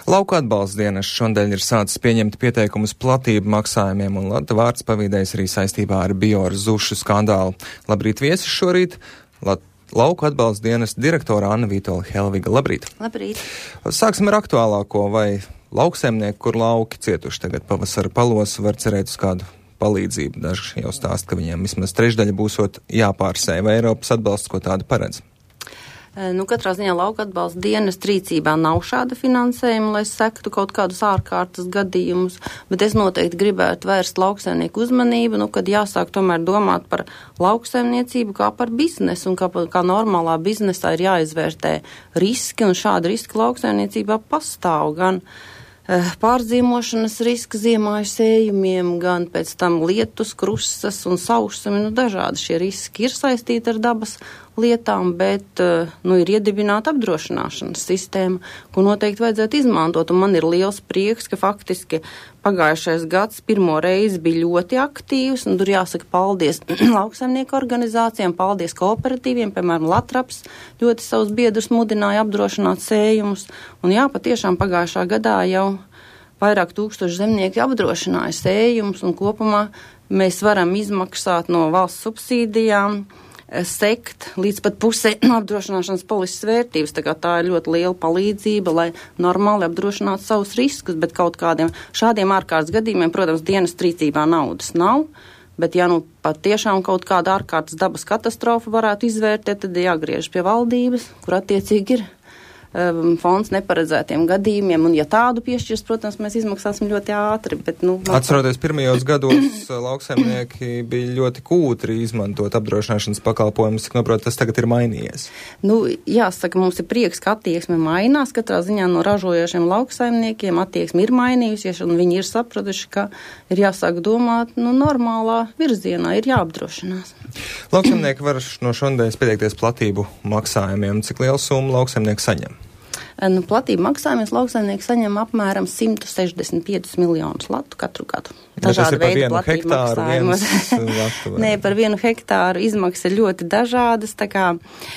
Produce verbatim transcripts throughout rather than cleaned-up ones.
Lauku atbalsta dienas šodien ir sācis pieņemt pieteikumus platību maksājumiem, un Lata vārds pavīdējis arī saistībā ar Bioru zušu skandālu. Labrīt viesis šorīt, Lat Lauku atbalsta dienas direktora Anna Vītola Helviga. Labrīt! Labrīt! Sāksim ar aktuālāko, vai lauksaimnieki, kur lauki cietuši tagad pavasara palos, var cerēt uz kādu palīdzību. Daži jau stāst, ka viņiem vismaz trešdaļa būsot jāpārsēj, vai Eiropas atbalsts ko tādu paredz? Nu, katrā ziņā lauka atbalsta dienas rīcībā nav šāda finansējuma, lai sektu kaut kādus ārkārtas gadījumus, bet es noteikti gribētu vērst lauksaimnieku uzmanību, nu, kad jāsāk tomēr domāt par lauksaimniecību kā par biznesu, un kā, kā normālā biznesā ir jāizvērtē riski, un šādi riski lauksaimniecībā pastāv gan pārzīmošanas riska ziemāju sējumiem, gan pēc tam lietus, krusas un saušami, nu dažādi šie riski ir saistīti ar dabas lietām, bet, nu, ir iedibināta apdrošināšanas sistēma, ko noteikti vajadzētu izmantot, un man ir liels prieks, ka faktiski pagājušais gads pirmo reizi bija ļoti aktīvs, un tur jāsaka paldies lauksaimnieku organizācijām, paldies kooperatīviem, piemēram, Latraps ļoti savus biedrus mudināja apdrošināt sējumus, un jā, patiešām pagājušā gadā jau vairāk tūkstoši zemnieki apdrošināja sējumus, un kopumā mēs varam izmaksāt no valsts subsīdijām sekt līdz pat pusē apdrošināšanas polises vērtības, tā kā tā ir ļoti liela palīdzība, lai normāli apdrošinātu savus riskus, bet kaut kādiem šādiem ārkārtas gadījumiem, protams, dienas rīcībā naudas nav, bet ja nu pat tiešām kaut kāda ārkārtas dabas katastrofa varētu izvērtēt, tad jāgriež pie valdības, kur attiecīgi ir um, fonds neparedzētiem gadījumiem, un ja tādu piešķirs, protams, mēs izmaksāsim ļoti ātri, bet, nu... Atceroties, pirmajos gados lauksaimnieki bija ļoti kūtri izmantot apdrošināšanas pakalpojumus, cik noprot, tas tagad ir mainījies. Nu, jāsaka, mums ir prieks, ka attieksme mainās, katrā ziņā no ražojošiem lauksaimniekiem attieksme ir mainījusies, un viņi ir sapratuši, ka ir jāsāk domāt, nu, normālā virzienā, ir jāapdrošinās. Lauksaimnieki var no šodienas pieteikties platību maksājumiem, cik lielu summu lauksaimnieki saņem? Nu, platību maksājumies lauksaimnieki saņem apmēram simt sešdesmit piecus miljonus latu katru gadu. Dažādi veidi platību maksājumos. Nē, par vienu hektāru izmaksas ir ļoti dažādas, tā kā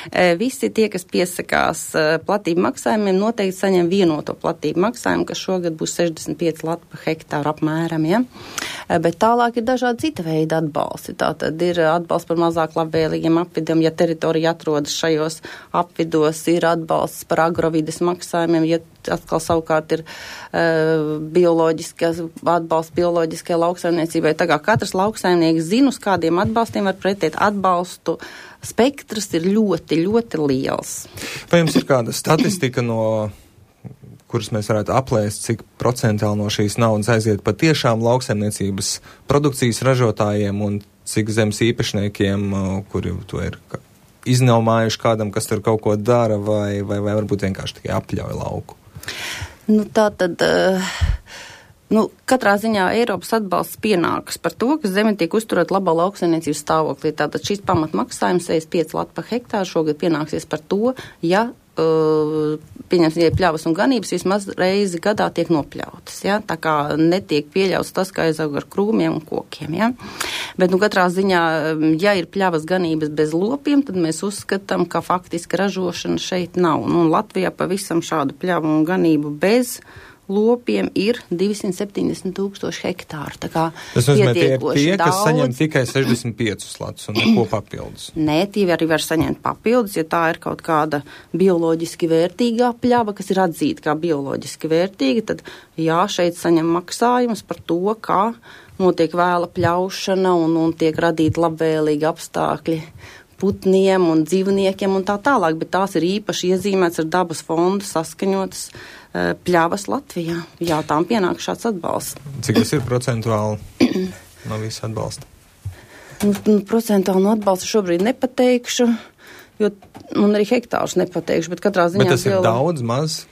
e, visi tie, kas piesakās e, platību maksājumiem, noteikti saņem vienoto platību maksājumu, kas šogad būs sešdesmit pieci lati pa hektāru apmēram, ja? E, bet tālāk ir dažādi cita veida atbalsti. Tātad ir atbalsts par mazāk labvēlīgiem apvidiem, ja teritorija atrodas šajos apvidos, ir atbalsts par agrovides maksājumiem, ja atkal savukārt ir uh, bioloģiskas atbalsts bioloģiskai lauksaimniecībai. Tā kā katrs lauksaimnieks zina, uz kādiem atbalstiem var pretēt atbalstu. Spektrs ir ļoti, ļoti liels. Vai jums ir kāda statistika, no kuras mēs varētu aplēst, cik procentāli no šīs naudas aiziet patiešām lauksaimniecības produkcijas ražotājiem un cik zemes īpašniekiem, kuri to ir iznaumājuši kādam, kas tur kaut ko dara, vai, vai, vai varbūt vienkārši tikai apļauj lauku? Nu, tā tad, uh, nu, katrā ziņā Eiropas atbalsts pienākas par to, ka zeme tiek uzturēt labā lauksaimniecības stāvoklī. Tātad šis pamatmaksājums sešdesmit pieci lati pa hektāru šogad pienāksies par to, ja Uh, pieņemsim, ja pļavas un ganības vismaz reizi gadā tiek nopļautas, ja? Tā kā netiek pieļauts tas, ka aizaug ar krūmiem un kokiem, ja? Bet, nu, katrā ziņā, ja ir pļavas ganības bez lopiem, tad mēs uzskatām, ka faktiski ražošana šeit nav. Nu, Latvijā pavisam šādu pļavu un ganību bez lopiem ir divsimt septiņdesmit tūkstoši hektāru. Tā kā tas nozīmē, tie ir tie, daudz. Kas saņem tikai sešdesmit piecus latus un neko papildus. Nē, tie arī var saņemt papildus, ja tā ir kaut kāda bioloģiski vērtīgā pļava, kas ir atzīta kā bioloģiski vērtīga, tad jā, šeit saņem maksājumus par to, kā notiek vēla pļaušana un, un tiek radīti labvēlīgi apstākļi putniem un dzīvniekiem un tā tālāk, bet tās ir īpaši iezīmēts ar dabas fondu saskaņotas uh, pļavas Latvijā. Jā, tām pienāk šāds atbalsts. Cik tas ir procentuāli no visa atbalsta? Nu, nu, procentuāli no atbalsta šobrīd nepateikšu, jo, un arī hektārus nepateikšu, bet katrā ziņā... Bet tas ir jau... daudz, maz?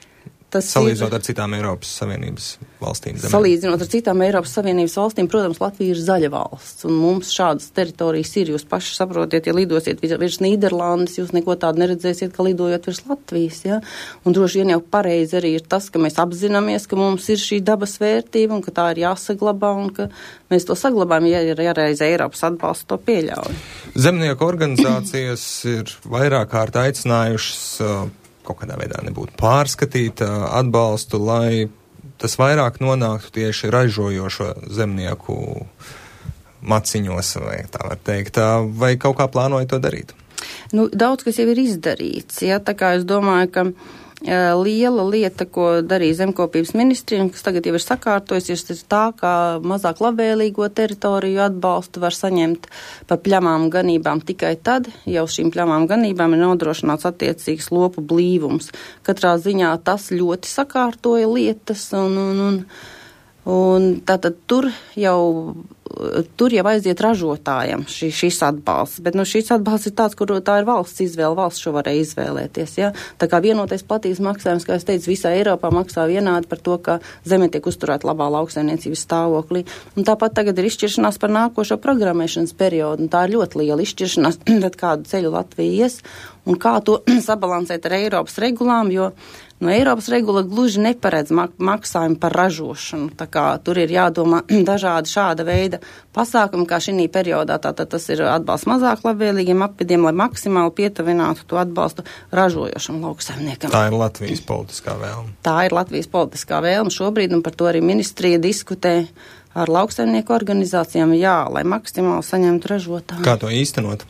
Tas salīdzinot ir, ar citām Eiropas Savienības valstīm. Zemē. Salīdzinot ar citām Eiropas Savienības valstīm, protams, Latvija ir zaļa valsts, un mums šādas teritorijas ir. Jūs paši saprotiet, ja lidosiet virs Nīderlandes, jūs neko tādu neredzēsiet, ka lidojot virs Latvijas, ja? Un droši vien jau pareizi arī ir tas, ka mēs apzināmies, ka mums ir šī dabas vērtība, un ka tā ir jāsaglabā, un ka mēs to saglabājam, ja ir jāreiz Eiropas atbalsts to pieļauj. Zemnieku organizācijas ir vairāk kārt aicinājušas uh, kaut kādā veidā nebūtu pārskatīt atbalstu, lai tas vairāk nonāktu tieši ražojošo zemnieku maciņos, vai tā var teikt, vai kaut kā plānoja to darīt? Nu, daudz, kas jau ir izdarīts, ja, tā kā es domāju, ka liela lieta, ko darīja zemkopības ministrija, kas tagad jau ir sakārtojusies, ir tā, ka mazāk labvēlīgo teritoriju atbalstu var saņemt par pļamām ganībām tikai tad, jau šīm pļamām ganībām ir nodrošināts attiecīgs lopu blīvums. Katrā ziņā tas ļoti sakārtoja lietas, un, un, un, un tātad tur jau tur jau aiziet ražotājiem šī, šis atbalsts, bet nu, šis atbalsts ir tāds, kur tā ir valsts izvēle, valsts šo varēja izvēlēties. Ja? Tā kā vienotais platības maksājums, kā es teicu, visā Eiropā maksā vienādi par to, ka zeme tiek uzturēta labā lauksaimniecības stāvoklī. Un tāpat tagad ir izšķiršanās par nākošo programmēšanas periodu, un tā ir ļoti liela izšķiršanās, tad kādu ceļu Latvija ies, un kā to sabalansēt ar Eiropas regulām, jo no Eiropas regula gluži neparedz mak- maksājumu par ražošanu. Tā kā tur ir jādomā dažādi šāda veida pasākumi, kā šī periodā. Tātad tas ir atbalsts mazāk labvēlīgiem apvidiem, lai maksimāli pietuvinātu to atbalstu ražojošam lauksaimniekam. Tā ir Latvijas politiskā vēlme. Tā ir Latvijas politiskā vēlme šobrīd, un par to arī ministrija diskutē ar lauksaimnieku organizācijām, jā, lai maksimāli saņemtu ražotāju. Kā to īstenot?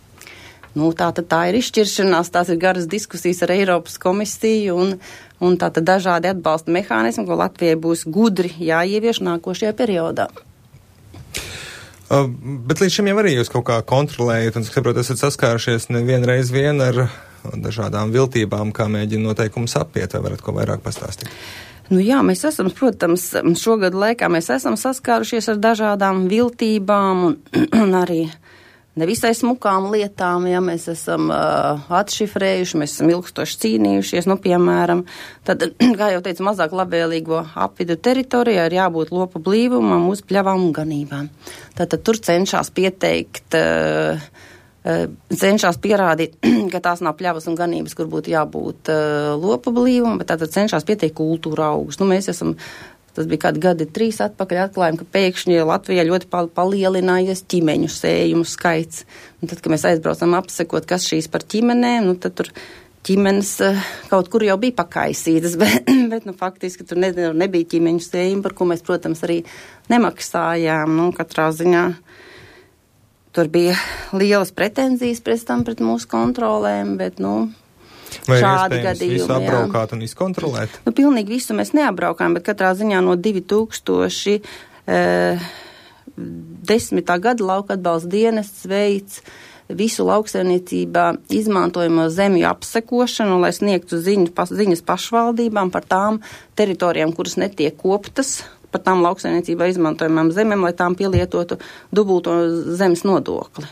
Nu, tā tad tā ir izšķiršanās, tās ir garas diskusijas ar Eiropas komisiju un, un tā tad dažādi atbalsta mehānismi, ko Latvijai būs gudri jāievieš nākošajā periodā. Uh, bet līdz šim jau arī jūs kaut kā kontrolējat un, saprot, esat saskārušies nevienreiz vien ar dažādām viltībām, kā mēģina noteikumus apiet, vai varat ko vairāk pastāstīt? Nu jā, mēs esam, protams, šogad laikā mēs esam saskārušies ar dažādām viltībām un, un arī nevisai smukām lietām, ja mēs esam uh, atšifrējuši, mēs esam ilgstoši cīnījušies, nu, piemēram, tad, kā jau teicu, mazāk labvēlīgo apvidu teritorijā ir jābūt lopu blīvumam uz pļavām un ganībām. Tātad tur cenšas pieteikt, uh, uh, cenšas pierādīt, ka tās nav pļavas un ganības, kur būtu jābūt uh, lopu blīvumam, bet tātad cenšas pieteikt kultūra augus. Nu, mēs esam Tas bija kādi gadi trīs atpakaļ atklājumi, ka pēkšņi Latvijā ļoti palielinājies ķimeņu sējumu skaits. Un tad, kad mēs aizbraucam apsekot, kas šīs par ķimenēm, nu tad tur ķimenes kaut kur jau bija pakaisītas, bet, bet nu, faktiski tur ne, nebija ķimeņu sējumu, par ko mēs, protams, arī nemaksājām. Nu, katrā ziņā tur bija lielas pretenzijas pēc tam pret mūsu kontrolēm, bet, nu, vai šādi gadījumi, gadījumi, visu apbraukāt un izkontrolēt? Nu, pilnīgi visu mēs neapbraukājam, bet katrā ziņā no divi tūkstoši desmitā gada lauka atbalsta dienests veids visu lauksaimniecībā izmantojamo zemju apsekošanu, lai sniegtu ziņu, pas, ziņas pašvaldībām par tām teritorijām, kuras netiek koptas, par tām lauksaimniecībā izmantojamām zemēm, lai tām pielietotu dubulto zemes nodokli.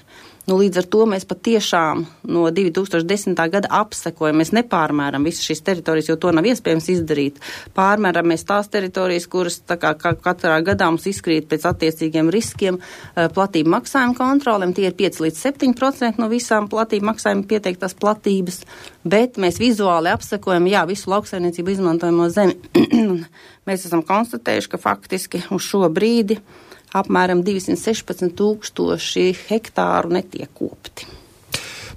Nu, līdz ar to mēs patiešām no divi tūkstoši desmitā gada apsekojam. Mēs nepārmēram visas šīs teritorijas, jo to nav iespējams izdarīt. Pārmēram mēs tās teritorijas, kuras tā kā katrā gadā mums izkrīt pēc attiecīgiem riskiem platību maksājumu kontrolēm. Tie ir pieci līdz septiņi procenti no visām platību maksājumu pieteiktās platības, bet mēs vizuāli apsekojam, jā, visu lauksaimniecību izmantojamo zemi. Mēs esam konstatējuši, ka faktiski uz šo brīdi apmēram divsimt sešpadsmit tūkstoši hektāru netiek kopti.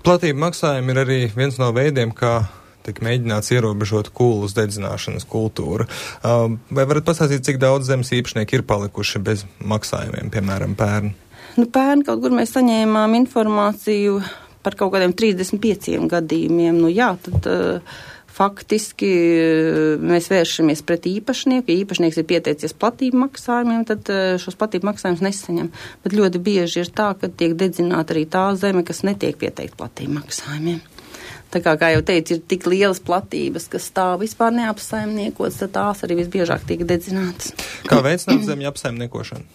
Platība maksājumi ir arī viens no veidiem, kā tiek mēģināts ierobežot kūlas dedzināšanas kultūru. Vai varat pastāstīt, cik daudz zemes īpašnieki ir palikuši bez maksājumiem, piemēram, pērn? Nu, pērn kaut kur mēs saņēmām informāciju par kaut kādiem trīsdesmit pieciem gadījumiem. Nu jā, tad uh, faktiski mēs vēršamies pret īpašnieku. Ja īpašnieks ir pieteicies platību maksājumiem, tad šos platību maksājumus nesaņem. Bet ļoti bieži ir tā, ka tiek dedzināta arī tā zeme, kas netiek pieteikta platību maksājumiem. Tā kā, kā jau teicu, ir tik lielas platības, kas stāv vispār neapsaimniekotas, tad tās arī visbiežāk tiek dedzinātas. Kā veicināt zemju apsaimniekošanu?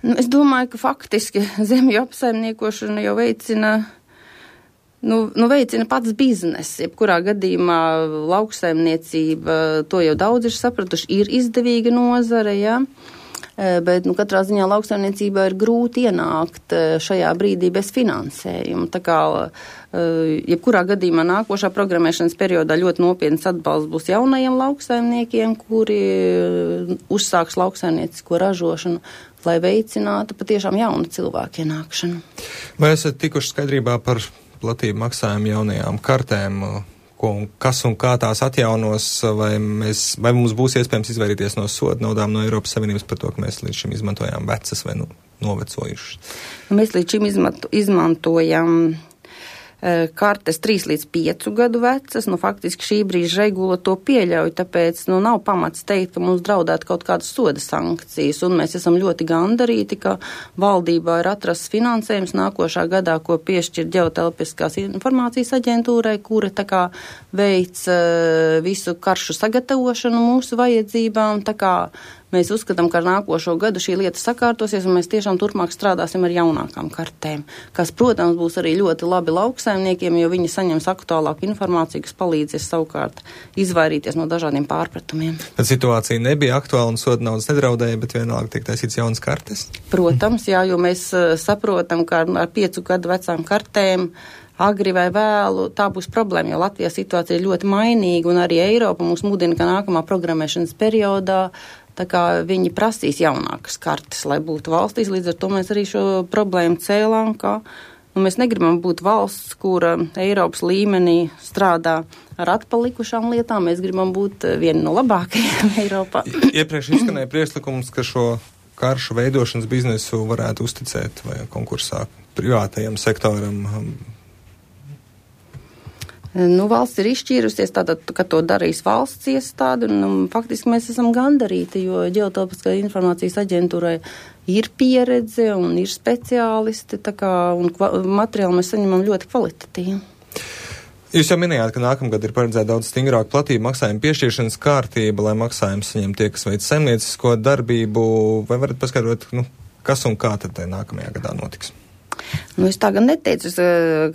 Nu, es domāju, ka faktiski zemju apsaimniekošanu jau veicina Nu, nu veicina pats biznes, jebkurā gadījumā lauksaimniecība, to jau daudz ir sapratuši, ir izdevīga nozare, ja? Bet nu, katrā ziņā lauksaimniecībā ir grūti ienākt šajā brīdī bez finansējuma. Tā kā jebkurā gadījumā nākošā programmēšanas periodā ļoti nopietns atbalsts būs jaunajiem lauksaimniekiem, kuri uzsāks lauksaimniecisko ražošanu, lai veicinātu patiešām jaunu cilvēku ienākšanu. Vai esat tikuši skaidrībā par platību maksājumu jaunajām kartēm, ko un kas un kā tās atjaunos, vai, mēs, vai mums būs iespējams izvairīties no soda naudām no Eiropas Savienības par to, ka mēs līdz šim izmantojām vecas vai nu, novecojušas? Mēs līdz šim izmanto, izmantojam kartes trīs līdz piecu gadu vecas, nu faktiski šī brīža regula to pieļauj, tāpēc nu nav pamats teikt, ka mums draudētu kaut kādas soda sankcijas, un mēs esam ļoti gandarīti, ka valdībā ir atrasts finansējums nākošā gadā, ko piešķir Ģeotelpiskās informācijas aģentūrai, kura tā kā veic uh, visu karšu sagatavošanu mūsu vajadzībām, tā kā mēs uzskatām, ka ar nākošo gadu šī lieta sakārtosies, un mēs tiešām turpmāk strādāsim ar jaunākām kartēm, kas, protams, būs arī ļoti labi lauksaimniekiem, jo viņi saņems aktuālāku informāciju, kas palīdzēs savukārt izvairīties no dažādiem pārpratumiem. Tad situācija nebija aktuāla un soda naudas nedraudēja, bet vienalga tiek taisīts jaunas kartes? Protams, jā, jo mēs uh, saprotam, ka ar, ar piecu gadu vecām kartēm agri vai vēlu, tā būs problēma, jo Latvijā situācija ir ļoti mainīga, un arī Eiropa mūs mudina, ka nākamā programmēšanas periodā tā kā viņi prasīs jaunākas kartes, lai būtu valstīs, līdz ar to mēs arī šo problēmu cēlām, ka nu, mēs negribam būt valsts, kura Eiropas līmenī strādā ar atpalikušām lietām, mēs gribam būt vieni no labākajiem Eiropā. Iepriekš izskanēja priekšlikums, ka šo karšu veidošanas biznesu varētu uzticēt vai konkursā privātajam sektoram. Nu, valsts ir izšķīrusies tātad, ka to darīs valsts iestāde, un um, faktiski mēs esam gandarīti, jo Ģeotelpiskā informācijas aģentūrai ir pieredze un ir speciālisti, tā kā, un kva- materiāli mēs saņemam ļoti kvalitatīvi. Jūs jau minējāt, ka nākamgad ir paredzēta daudz stingrāka platība maksājuma piešķiršanas kārtība, lai maksājumu saņem tie, kas veic saimniecisko darbību, vai varat paskaidrot, nu, kas un kā tad nākamajā gadā notiks? Nu, es tā gan neteicu,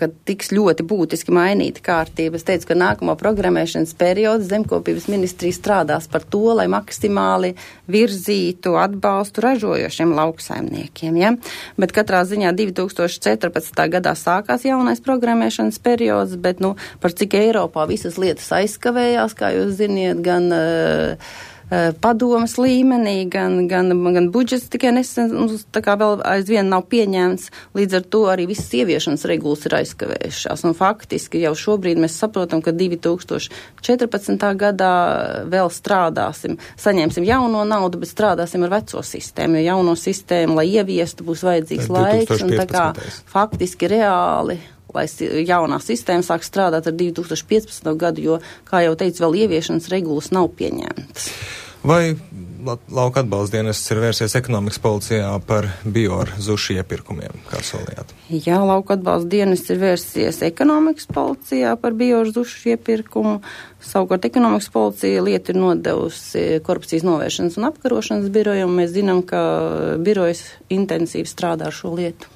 ka tiks ļoti būtiski mainīta kārtība. Es teicu, ka nākamo programmēšanas periodu Zemkopības ministrija strādās par to, lai maksimāli virzītu atbalstu ražojošiem lauksaimniekiem. Ja? Bet katrā ziņā divi tūkstoši četrpadsmitā gadā sākās jaunais programmēšanas periods, bet nu, par cik Eiropā visas lietas aizkavējās, kā jūs ziniet, gan uh, padomas līmenī, gan, gan, gan budžets tikai nesen, tā kā vēl aizvien nav pieņemts, līdz ar to arī visas ieviešanas regulas ir aizkavējušās. Un faktiski jau šobrīd mēs saprotam, ka divi tūkstoši četrpadsmitā gadā vēl strādāsim, saņemsim jauno naudu, bet strādāsim ar veco sistēmu, jo jauno sistēmu, lai ieviestu, būs vajadzīgs laiks, un tā kā faktiski reāli lai jaunā sistēma sāk strādāt ar divi tūkstoši piecpadsmito gadu, jo, kā jau teicu, vēl ieviešanas regulas nav pieņemtas. Vai lauka atbalsta dienests ir vērsies ekonomikas policijā par bioru zušu iepirkumiem, kā solījāt? Jā, lauka atbalsta dienests ir vērsies ekonomikas policijā par bioru zušu iepirkumu. Savukārt ekonomikas policija lietu ir nodevusi korupcijas novēršanas un apkarošanas birojam. Mēs zinām, ka birojas intensīvi strādā ar šo lietu.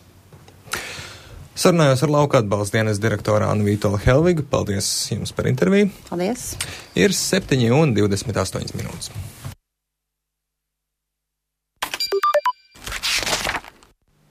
Sarunājos ar lauka atbalsta dienas direktoru Annu Vītolu Helvigu. Paldies jums par interviju. Paldies. Ir septiņi un divdesmit astoņas minūtes.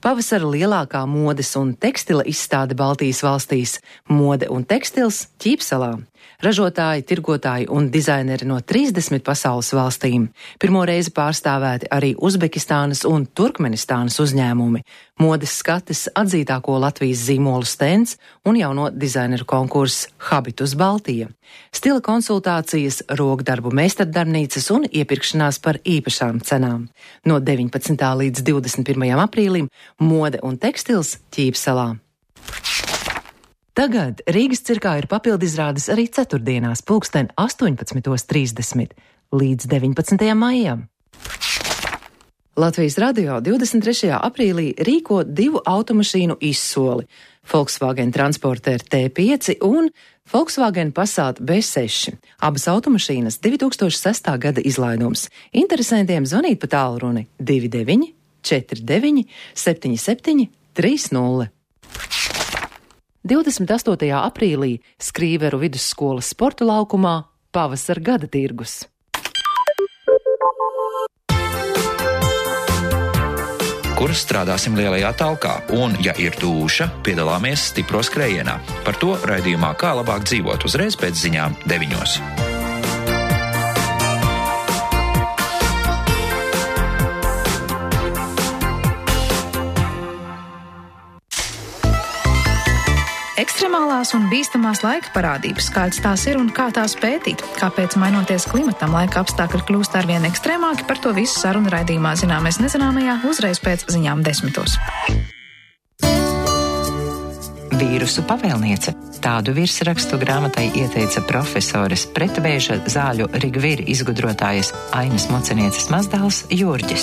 Pavasara lielākā modes un tekstila izstāde Baltijas valstīs – Mode un tekstils Ķīpsalā. Ražotāji, tirgotāji un dizaineri no trīsdesmit pasaules valstīm. Pirmo reizi pārstāvēti arī Uzbekistānas un Turkmenistānas uzņēmumi. Modes skates atzītāko Latvijas zīmolu stends un jauno dizaineru konkurss Habitus Baltija. Stila konsultācijas, rokdarbu meistardarbnīcas un iepirkšanās par īpašām cenām. No deviņpadsmitā līdz divdesmit pirmajam aprīlim Mode un tekstils Ķīpsalā. Tagad Rīgas cirkā ir papildizrādes arī ceturtdienās pulksten astoņpadsmit trīsdesmit līdz deviņpadsmitajam maijam. Latvijas radio divdesmit trešajā aprīlī rīko divu automašīnu izsoli – Volkswagen Transporter T pieci un Volkswagen Passat B seši. Abas automašīnas divi tūkstoši sestā gada izlaidums. Interesantiem zvanīt pa tālruni divi deviņi četri deviņi septiņi septiņi trīs nulle. divdesmit astotajā aprīlī Skrīveru vidusskolas sporta laukumā pavasara gada tirgus. Kur strādāsim lielajā talkā, un, ja ir dūša, piedalāmies stipro skrējienā. Par to raidījumā Kā labāk dzīvot uzreiz pēc ziņām deviņos. Ekstra ekstremālās un bīstamās laika parādības, kādas tās ir un kā tās pētīt, kāpēc mainoties klimatam laika apstākļi kļūst arvien ekstrēmāki, par to visu sarunu raidījumā Zināmais nezināmajā uzreiz pēc ziņām desmitos. Vīrusu pavēlniece. Tādu virsrakstu grāmatai ieteica profesores pretvēža zāļu Rigvīri izgudrotājas Ainas Mocenieces mazdēls Jurģis.